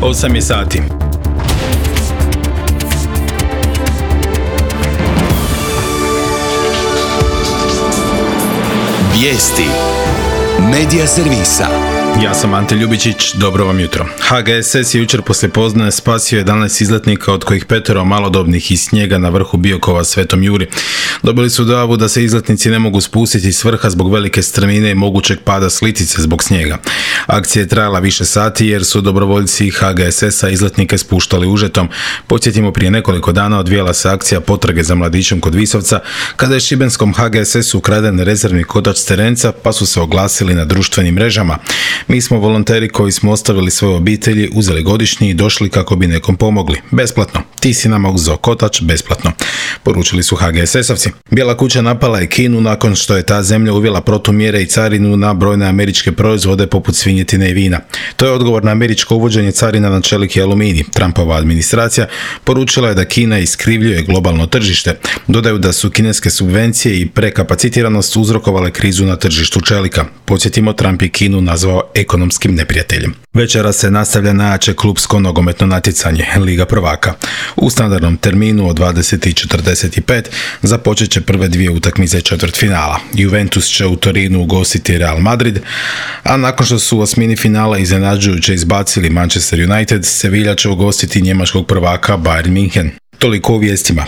8 je sati. Vijesti Medija servisa. Ja sam Ante Ljubičić, dobro vam jutro. HGSS je jučer poslijepodne spasio 11 izletnika, od kojih 5 malodobnih iz snijega na vrhu Biokova Svetom Juri. Dobili su dojavu da se izletnici ne mogu spustiti s vrha zbog velike strmine i mogućeg pada s litice zbog snijega. Akcija je trajala više sati jer su dobrovoljci HGSS-a izletnike spuštali užetom. Podsjetimo, prije nekoliko dana odvijala se akcija potrage za mladićem kod Visovca, kada je šibenskom HGSS-u ukraden rezervni kotač s terenca, pa su se oglasili na društvenim mrežama. Mi smo volonteri koji smo ostavili svoje obitelji, uzeli godišnji i došli kako bi nekom pomogli. Besplatno. Ti si nama uzeo kotač besplatno, poručili su HGSS-ovci. Bijela kuća napala je Kinu nakon što je ta zemlja uvela protumjere i carinu na brojne američke proizvode poput svinjetine i vina. To je odgovor na američko uvođenje carina na čelik i aluminij. Trumpova administracija poručila je da Kina iskrivljuje globalno tržište. Dodaju da su kineske subvencije i prekapacitiranost uzrokovale krizu na tržištu čelika. Podsjetimo, Trump je Kinu nazvao ekonomskim neprijateljem. Večera se nastavlja najjače klupsko nogometno natjecanje, Liga prvaka. U standardnom terminu od 20:45 započet će prve dvije utakmice četvrtfinala. Juventus će u Torinu ugostiti Real Madrid, a nakon što su u osmini finala iznenađujuće izbacili Manchester United, Sevilla će ugostiti njemačkog prvaka Bayern München. Toliko u vijestima.